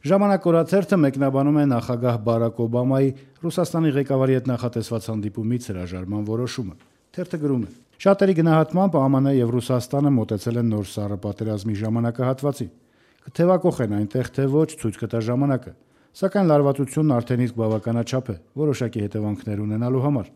Ժամանակ օրաթերթը մեկնաբանում է նախագահ Բարակ Օբամայի Ռուսաստանի ղեկավարի հետ նախատեսված հանդիպումից հրաժարման որոշումը։ Թերթը գրում է. «Շատերի գնահատմամբ ԱՄՆ եւ Ռուսաստանը մոտեցել են նոր սառը պատերազմի ժամանակահատվածին։ Կթեւակոխեն այնտեղ թե ոչ, ցույց կտա ժամանակը։ Սակայն լարվածությունն արդեն իսկ բավականաչափ է որոշակի հետևանքներ ունենալու համար։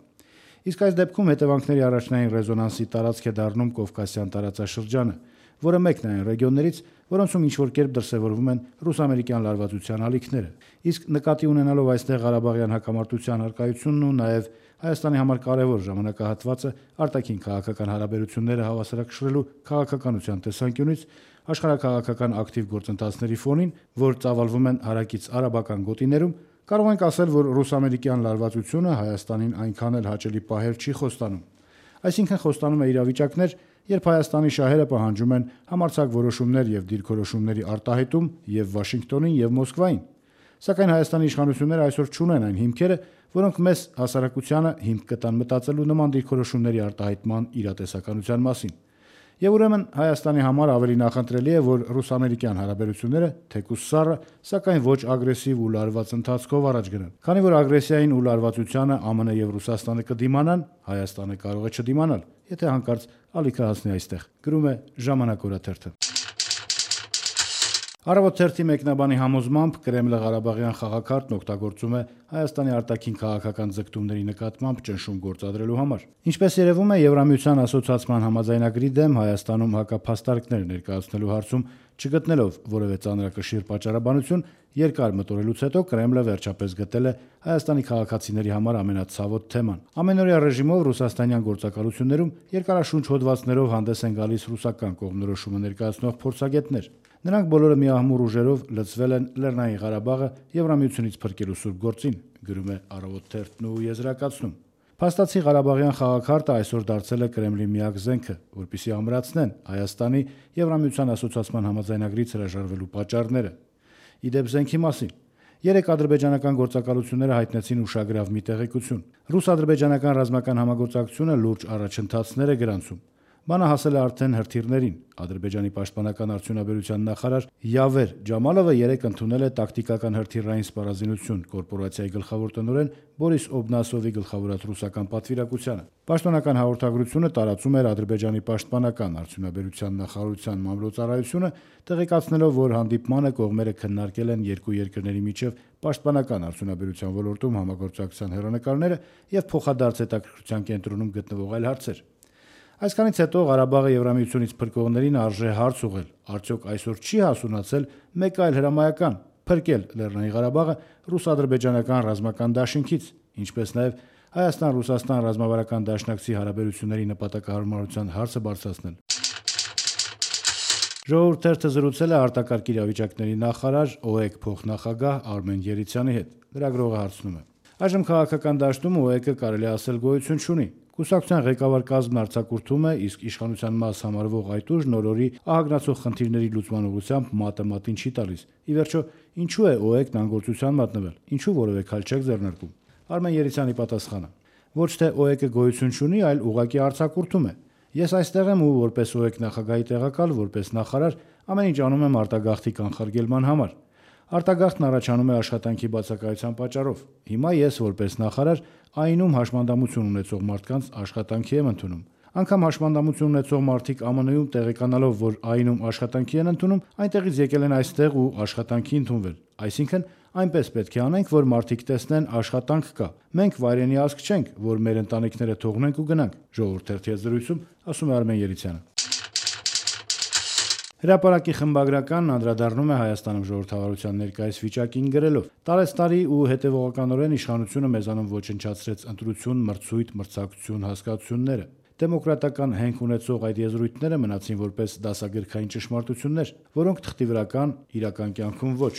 Իսկ այս դեպքում հետևանքների առաջնային ռեզոնանսի տարածք է դառնում Կովկասյան տարածաշրջանը, որը մեկն է այն ռեգիոններից, որոնցում ինչ-որ կերպ դրսևորվում են ռուս-ամերիկյան լարվածության ալիքները։ Իսկ նկատի ունենալով այստեղ Ղարաբաղյան հակամարտության առկայությունն ու նաև Հայաստանի համար կարևոր ժամանակահատվածը արտաքին քաղաքական հարաբերությունները հավասարակշռելու քաղաքականության տեսանկյունից աշխարհաքաղաքական ակտիվ գործընթացների ֆոնին, որ ծավալվում են հարակից արաբական գոտիներում, կարող ենք ասել, որ ռուս-ամերիկյան լարվածությունը Հայաստանին այնքան էլ հաճելի պահել չի խոստանում։ Այսինքն խոստանում է իրավիճակներ, երբ Հայաստանի շահերը պահանջում են համարձակ որոշումներ եւ դիրքորոշումների արտահայտում եւ Վաշինգտոնին եւ Մոսկվային։ Սակայն Հայաստանի իշխանությունները այսօր չունեն այն հիմքերը, որոնք մեզ հասարակությանը հիմք կտան մտածելու նման դիրքորոշումների արտահայտման իրատեսականության մասին։ Եվ ուրեմն Հայաստանի համար ավելի նախընտրելի է, որ ռուս-ամերիկյան հարաբերությունները թեկուզ սառը, սակայն ոչ ագրեսիվ ու լարված ընթացքով առաջ գնան։ Քանի որ ագրեսիային ու լարվածությանը ԱՄՆ եւ Ռուսաստանը կդիմանան, Հայաստանը կարող է չդիմանալ, եթե հանկարծ ալիքը հասնի այստեղ, գրում է Ժամանակ օրաթերթը։ Առավոտ թերթի մեկնաբանի համոզմամբ Կրեմլը Ղարաբաղյան խաղաքարտն օգտագործում է Հայաստանի արտաքին քաղաքական ձգտումների նկատմամբ ճնշում գործադրելու համար։ Ինչպես երևում է, Եվրամիության ասոցիացման համաձայնագրի դեմ Հայաստանում հակափաստարկներ ներկայացնելու հարցում չգտնելով որևէ ծանրակշիռ պատճառաբանություն, երկար մտորելուց հետո Կրեմլը վերջապես գտել է Հայաստանի քաղաքացիների համար ամենացավոտ թեման։ Ամենօրյա ռեժիմով ռուսաստանյան գործակալություններում երկարաշունչ հոդվածներով հանդես են գալիս ռուսական կողմնորոշումը ներկայացնող փորձագետներ։ Նրանք բոլորը միահմուռ ուժերով լծվել են Լեռնային Ղարաբաղը Եվրամիությունից փրկելու սուրբ գործին, գրում է Առավոտ թերթն ու եզրակացնում։ Փաստացի Ղարաբաղյան խաղաքարտը այսօր դարձել է Կրեմլի միակ զենքը, որպեսզի ամրացնեն Հայաստանի Եվրամիության ասոցիացման համաձայնագրից հրաժարվելու պատճառները։ Իդեպ զենքի մասին երեք ադրբեջանական գործակալությունները հայտնեցին ուշագրավ մի տեղեկություն։ Ռուս-ադրբեջանական ռազմական համագործակցությունը լուրջ առաջընթացներ է գրանցում։ Բանը հասել է արդեն հրթիռներին։ Ադրբեջանի պաշտպանական արդյունաբերության նախարար Յավեր Ջամալովը երեկ ընդունել է տակտիկական հրթիռային սպառազինություն կորպորացիայի գլխավոր տնօրեն Բորիս Օբնասովի գլխավորած ռուսական պատվիրակությանը։ Պաշտոնական հաղորդագրությունը տարածում էր Ադրբեջանի պաշտպանական արդյունաբերության նախարարության մամլոյցարայությունը, տեղեկացնելով, որ հանդիպմանը կողմերը քննարկել են երկու երկրների միջև պաշտպանական արդյունաբերության ոլորտում համագործակցության հեռանկարները եւ փոխադարձ հետաքրքրության կենտրոնում գտնվող այլ հարցեր։ Այսքանից հետո Ղարաբաղը Եվրամիությունից փրկողներին արժե հարց ուղղել. արդյոք այսօր չի հասունացել մեկ այլ հրամայական փրկել Լեռնային Ղարաբաղը ռուս-ադրբեջանական ռազմական դաշինքից, ինչպես նաև Հայաստան-Ռուսաստան ռազմավարական դաշնակցի հարաբերությունների նպատակահարմարության հարցը բարձրացնել։ Ժողովուրդ թերթը զրուցել է արտակարգ իրավիճակների նախարար ՕԵԿ փոխնախագահ Արմեն Երիցյանի հետ։ Լրագրողը հարցնում է. այժմ քաղաքական դաշտում ՕԵԿ-ը կարելի ասել գոյություն չունի։ Կուսակցության ղեկավար կազմն արձակուրդում է, իսկ իշխանության մաս համարվող այդ ուժն օրորի ահագնացող խնդիրների լուծման ուղղությամբ մատը մատին չի տալիս։ Ի վերջո, ինչու է ՕԵԿ-ն անգործության մատնվել, ինչու որևէ քայլ չեք ձեռնարկում։ Արմեն Երիցյանի պատասխանը. ոչ թե ՕԵԿ-ը գոյություն չունի, այլ ուղղակի արձակուրդում է։ Ես այստեղ եմ ու որպես ՕԵԿ նախագահի տեղակալ, որպես նախարար ամեն ինչ անում եմ արտագաղթի կանխարգելման համար։ Արտագաղթն առաջանում է աշխատանքի բացակայության պատճառով։ Հիմա ես որպես նախարար ԱԻՆ-ում հաշմանդամություն ունեցող մարդկանց աշխատանքի եմ ընդունում։ Անգամ հաշմանդամություն ունեցող մարդիկ ԱՄՆ-ում տեղեկանալով, որ ԱԻՆ-ում աշխատանքի են ընդունում, այնտեղից եկել են այստեղ ու աշխատանքի ընդունվել։ Այսինքն այնպես պետք է անենք, որ մարդիկ տեսնեն աշխատանք կա։ Մենք վայրենի ազգ չենք, որ մեր ընտանիքները թողնենք ու գնանք։ Ժողովուրդ թերթի հետ զրույցում ասում է Արմեն Երիցյանը։ Հրապարակի խմբագրականն անդրադառնում է Հայաստանում ժողովրդավարության ներկայիս վիճակին գրելով. տարեցտարի ու հետևողականորեն իշխանությունը մեզանում ոչնչացրեց ընտրություն, մրցույթ, մրցակցություն հասկացությունները։ Դեմոկրատական հենք ունեցող այդ եզրույթները մնացին որպես դասագրքային ճշմարտություններ, որոնք թղթի վրա կան, իրական կյանքում ոչ։